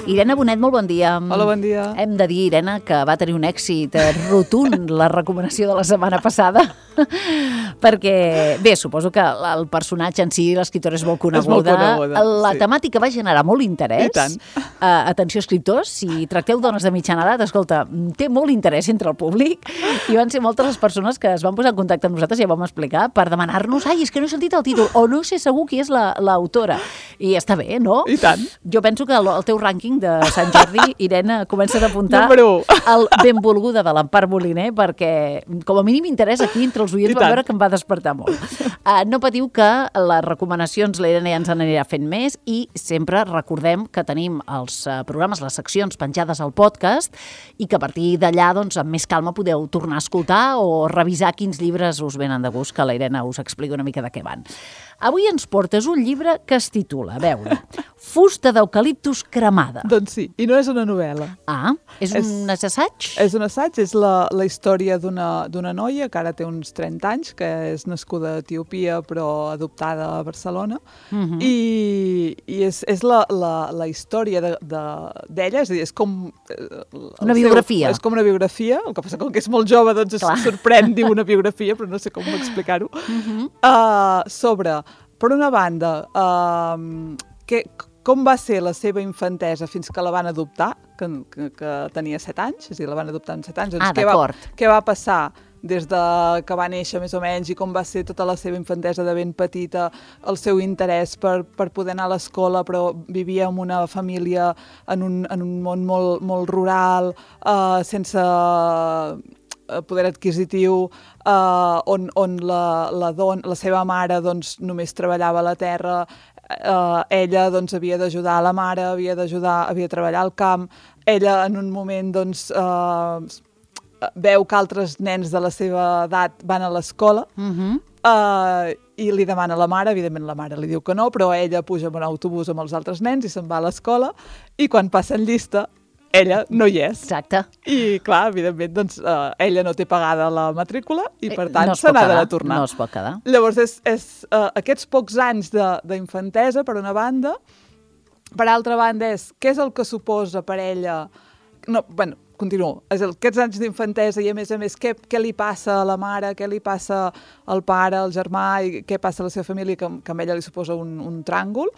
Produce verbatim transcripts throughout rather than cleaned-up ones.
Irene Bonet, molt bon dia. Hola, bon dia. Hem de dir, Irene, que va tenir un èxit rotund la recomanació de la setmana passada, perquè, bé, suposo que el personatge en si, l'escriptora és molt coneguda. És molt coneguda, La sí. temàtica va generar molt interès. I tant. Uh, atenció, escriptors, si tracteu dones de mitjana edat, escolta, té molt interès entre el públic i van ser moltes les persones que es van posar en contacte amb nosaltres, ja vam explicar, per demanar-nos, ai, és que no he sentit el títol, o no sé segur qui és l'autora. I està bé, no? I tant. Jo penso que el, el teu rànquing de Sant Jordi, Irene, comença a apuntar el benvolguda de l'Empar Moliner, perquè com a mínim interès aquí entre els oients va veure que em va despertar molt. Uh, no patiu que les recomanacions la Irene ja ens en anirà fent més i sempre recordem que tenim els uh, programes, les seccions penjades al podcast i que a partir d'allà, doncs, amb més calma podeu tornar a escoltar o revisar quins llibres us venen de gust, que la Irene us explica una mica de què van. Avui ens portes un llibre que es titula, a veure, Fusta d'eucaliptus cremada. Doncs sí, i no és una novel·la. Ah, és un és, assaig? És un assaig, és la, la història d'una noia que ara té uns trenta anys, que és nascuda a Etiòpia però adoptada a Barcelona, uh-huh. i, i és, és la, la, la història d'ella, de, de, és a dir, és com... Una biografia. Seu, és com una biografia, el que passa com que és molt jove, doncs Clar. es sorprèn, diu una biografia, però no sé com explicar-ho, uh-huh. uh, sobre, per una banda, uh, que... com va ser la seva infantesa fins que la van adoptar, que, que, que tenia set anys, és a dir, la van adoptar amb set anys. Doncs ah, què va, què va passar des de que va néixer, més o menys, i com va ser tota la seva infantesa de ben petita, el seu interès per, per poder anar a l'escola, però vivia en una família en un, en un món molt, molt rural, uh, sense poder adquisitiu, uh, on, on la, la, don, la seva mare doncs, només treballava a la terra. Uh, ella doncs, havia d'ajudar a la mare, havia d'ajudar, havia de treballar al camp. Ella en un moment doncs, uh, veu que altres nens de la seva edat van a l'escola uh-huh. uh, i li demana a la mare, evidentment la mare li diu que no, però ella puja en un autobús amb els altres nens i se'n va a l'escola i quan passen llista ella no hi és. Exacte. I, clar, evidentment, doncs, uh, ella no té pagada la matrícula i, per tant, no se n'ha de tornar. No es pot quedar. Llavors, és, és uh, aquests pocs anys d'infantesa, per una banda. Per altra banda, és què és el que suposa per ella... No, bueno, continuo. És el, aquests anys d'infantesa i, a més a més, què, què li passa a la mare, què li passa al pare, al germà, i què passa a la seva família, que, que a ella li suposa un, un tràngol.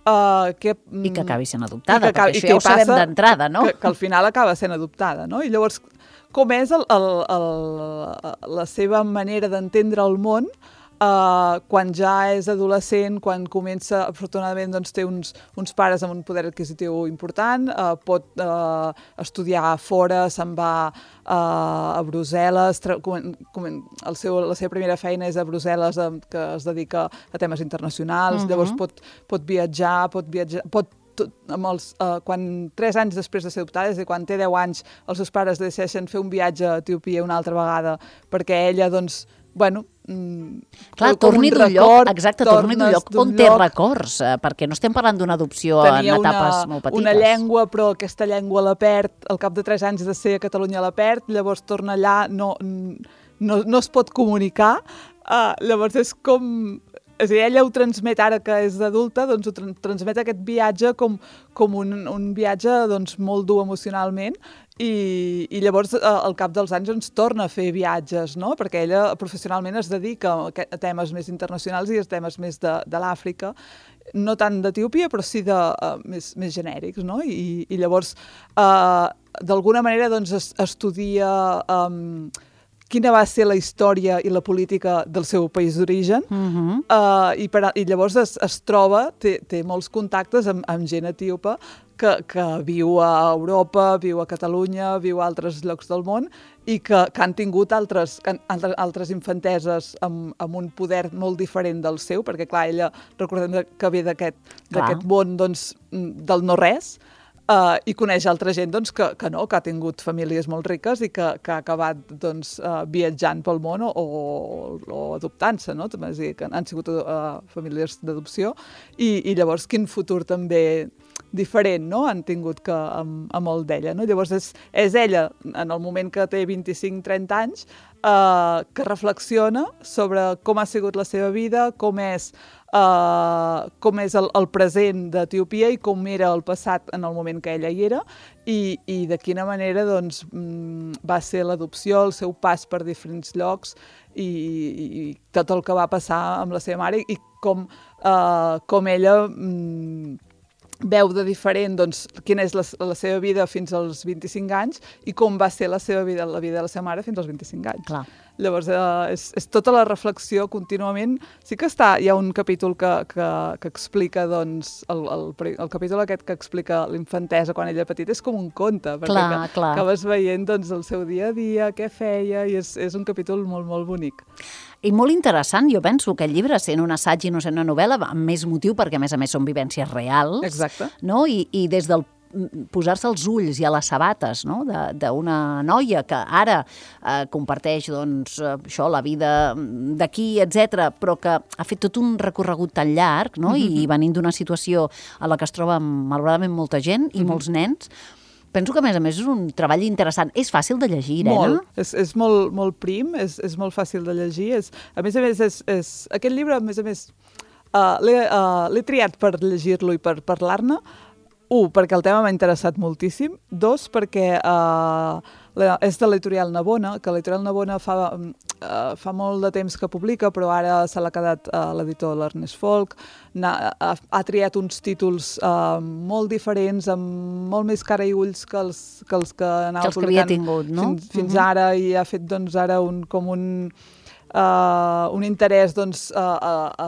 Uh, que, I que acabi sent adoptada, que acabi, perquè això ja ho sabem d'entrada, no? Que, que al final acaba sent adoptada, no? I llavors, com és el, el, el, la seva manera d'entendre el món uh, quan ja és adolescent, quan comença, afortunadament, doncs, té uns, uns pares amb un poder adquisitiu important, uh, pot uh, estudiar fora, se'n va uh, a Brussel·les, comen, comen, el seu, la seva primera feina és a Brussel·les, uh, que es dedica a temes internacionals, uh-huh. llavors pot, pot viatjar, pot viatjar, pot amb els, uh, quan tres anys després de ser adoptada, és a dir, quan té deu anys, els seus pares decideixen fer un viatge a Etiòpia una altra vegada, perquè ella, doncs, bueno... Mm, Clar, torni d'un lloc, exacte, torni d'un lloc on té records, eh, perquè no estem parlant d'una adopció en etapes una, molt petites. Tenia una llengua, però aquesta llengua la perd, al cap de tres anys de ser a Catalunya la perd, llavors torna allà, no, no, no es pot comunicar, uh, llavors és com... És a dir, ella ho transmet ara que és adulta, doncs ho transmet aquest viatge com, com un, un viatge doncs, molt dur emocionalment i, i llavors al cap dels anys ens torna a fer viatges, no? Perquè ella professionalment es dedica a temes més internacionals i a temes més de, de l'Àfrica, no tant d'Etiòpia, però sí de, uh, més, més genèrics, no? I, i llavors, uh, d'alguna manera, doncs, es, estudia... Um, quina va ser la història i la política del seu país d'origen, uh-huh. uh, i, per, i llavors es, es troba, té, té molts contactes amb, amb gent etíope que, que viu a Europa, viu a Catalunya, viu a altres llocs del món, i que, que han tingut altres, altres, altres infanteses amb, amb un poder molt diferent del seu, perquè, clar, ella, recordem que ve d'aquest món doncs, del no-res, Uh, i coneix altra gent doncs, que, que no, que ha tingut famílies molt riques i que, que ha acabat doncs, uh, viatjant pel món o, o, o adoptant-se, no? És a dir, que han sigut uh, famílies d'adopció i, i llavors quin futur també diferent, no?, han tingut que amb, amb el d'ella, no? Llavors és, és ella, en el moment que té vint-i-cinc trenta anys, eh, que reflexiona sobre com ha sigut la seva vida, com és uh, com és el, el present d'Etiòpia i com era el passat en el moment que ella hi era i, i de quina manera doncs, va ser l'adopció, el seu pas per diferents llocs i, i tot el que va passar amb la seva mare i com, uh, com ella mm, veu de diferent doncs, quina és la, la seva vida fins als vint-i-cinc anys i com va ser la seva vida, la vida de la seva mare fins als vint-i-cinc anys. Clar. Llavors, eh, és, és tota la reflexió contínuament. Sí que està, hi ha un capítol que, que, que explica, doncs, el, el, el capítol aquest que explica l'infantesa quan ella era petita és com un conte, perquè clar, que, clar. acabes veient doncs, el seu dia a dia, què feia, i és, és un capítol molt, molt bonic. I molt interessant, jo penso, que el llibre, sent un assaig i no sent una novel·la, amb més motiu, perquè a més a més són vivències reals. Exacte. No? I, i des del posar-se els ulls i a les sabates, no? d'una noia que ara eh, comparteix doncs, això, la vida d'aquí, etcètera, però que ha fet tot un recorregut tan llarg, no? Mm-hmm. I venint d'una situació a la que es troba malauradament molta gent i mm-hmm. molts nens. Penso que, a més a més, és un treball interessant. És fàcil de llegir, Irene? Molt. És, és molt, molt prim, és, és molt fàcil de llegir. És, a més a més, és, és, aquest llibre, a més a més, uh, l'he uh, triat per llegir-lo i per parlar-ne. Un, perquè el tema m'ha interessat moltíssim. Dos, perquè uh, és de l'editorial Navona, que l'editorial Navona fa, uh, fa molt de temps que publica, però ara se l'ha quedat uh, l'editor l'Ernest Folk. Ha, ha, ha triat uns títols uh, molt diferents, amb molt més cara i ulls que els que, els que anava que els publicant que havia tingut, no? fins, fins uh-huh. ara, i ha fet doncs, ara un, com un, uh, un interès doncs, a,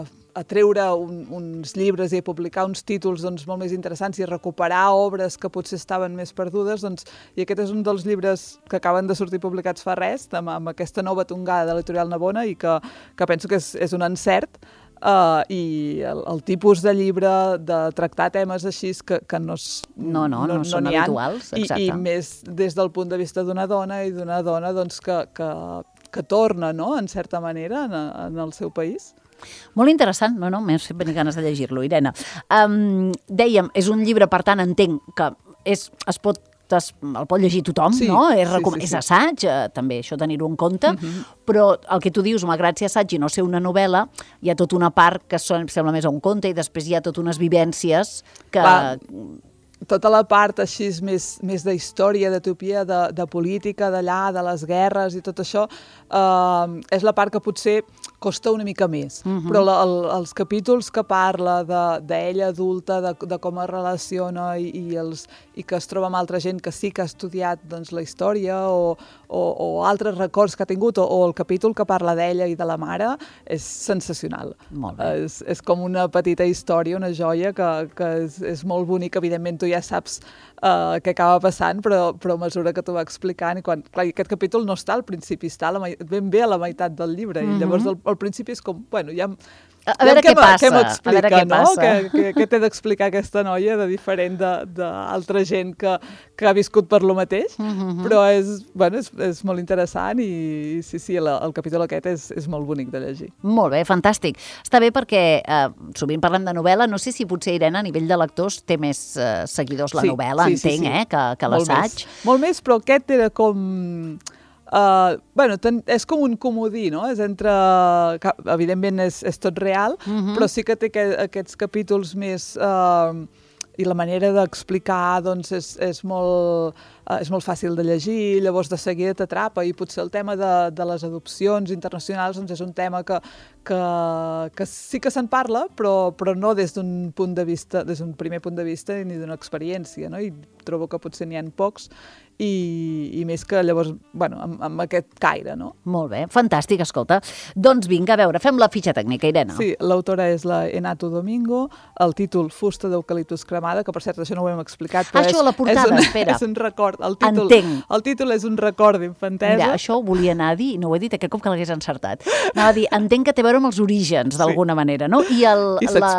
a, a treure un, uns llibres i a publicar uns títols doncs, molt més interessants i a recuperar obres que potser estaven més perdudes, doncs, i aquest és un dels llibres que acaben de sortir publicats fa res, amb, amb aquesta nova tongada de l'editorial Navona, i que, que penso que és, és un encert. Uh, i el, el tipus de llibre de tractar temes així que, que no, no, no, no, no són no habituals, exacte. I, i més des del punt de vista d'una dona i d'una dona doncs, que, que, que torna, no?, en certa manera, en, en el seu país. Molt interessant, no, no, m'he fet venir ganes de llegir-lo, Irene. Um, dèiem, és un llibre, per tant, entenc que és, es pot el pot llegir tothom, sí, no? És, sí, sí, és sí. assaig, eh, també això tenir-ho en compte, uh-huh. però el que tu dius, malgrat ser assaig i no ser una novel·la, hi ha tota una part que sembla més a un conte i després hi ha totes unes vivències que... Va. Tota la part així més, més de història d'Etiòpia, de, de política d'allà, de les guerres i tot això, eh, és la part que potser costa una mica més. Uh-huh. Però la, el, els capítols que parla d'ella adulta, de, de com es relaciona i, i, els, i que es troba amb altra gent que sí que ha estudiat doncs, la història o, o, o altres records que ha tingut, o, o el capítol que parla d'ella i de la mare, és sensacional. Molt bé. És, és com una petita història, una joia que, que és, és molt bonic. Evidentment, tu ja saps uh, què acaba passant, però, però a mesura que t'ho va explicant, i quan, clar, aquest capítol no està al principi, està a la, ben bé a la meitat del llibre, mm-hmm. i llavors al, al principi és com, bueno, ja... A, a veure què passa, què m'explica, a veure què no? passa. Què, què, què té d'explicar aquesta noia de diferent d'altra gent que, que ha viscut per lo mateix, mm-hmm. però és, bueno, és, és molt interessant i sí, sí, el, el capítol aquest és, és molt bonic de llegir. Molt bé, fantàstic. Està bé perquè eh, sovint parlem de novel·la, no sé si potser Irene a nivell de lectors té més eh, seguidors la sí, novel·la, sí, entenc, sí, sí. eh, que, que l'assaig. Molt, molt més, però aquest era com... Uh, bueno, ten, és com un comodí, no? És entre... Evidentment és, és tot real, uh-huh. però sí que té que, aquests capítols més... Uh, i la manera d'explicar doncs, és, és, molt, uh, és molt fàcil de llegir, llavors de seguida t'atrapa, i potser el tema de, de les adopcions internacionals doncs, és un tema que, que, que sí que se'n parla, però, però no des d'un punt de vista, des d'un primer punt de vista ni d'una experiència, no? I trobo que potser n'hi ha pocs, i, i més que llavors, bueno, amb, amb aquest caire, no? Molt bé, fantàstic, escolta. Doncs vinga, a veure, fem la fitxa tècnica, Irene. Sí, l'autora és la Enato Domingo, el títol Fusta d'eucaliptus cremada, que per cert, això no ho hem explicat, però ah, és, això, la portada, és, un, espera. és un record. El títol, Entenc. El títol és un record d'infantesa. Mira, això ho volia anar a dir, i no ho he dit aquest cop que l'hagués encertat. Anava a dir, entenc que té a veure amb els orígens, d'alguna sí. manera, no? I, el, I la,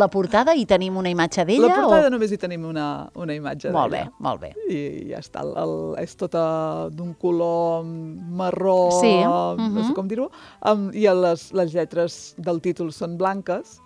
la portada, hi tenim una imatge d'ella? La portada o... només hi tenim una, una imatge d'ella. Molt bé, molt bé. I ja està, el, el, és tota d'un color marró, sí. uh-huh. no sé com dir-ho, um, i les, les lletres del títol són blanques,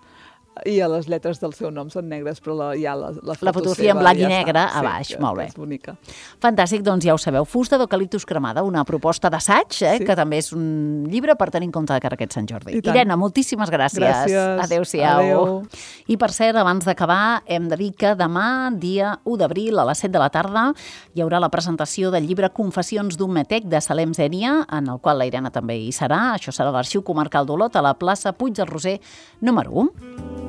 i a les lletres del seu nom són negres, però la, hi ha la, la foto La fotografia en blanc i negre a baix, sí, molt bé. És bonica. Fantàstic, doncs ja ho sabeu. Fusta d'eucaliptus cremada, una proposta d'assaig, eh, sí. que també és un llibre per tenir en compte de cara a aquest Sant Jordi. Irene, moltíssimes gràcies. Gràcies. Adéu-siau. Adéu. I per cert, abans d'acabar, hem de dir que demà, dia u d'abril, a les set de la tarda, hi haurà la presentació del llibre Confessions d'un metec de Salem Zènia, en el qual la Irene també hi serà. Això serà a l'Arxiu Comarcal d'Olot, a la plaça Puig del Roser, número u.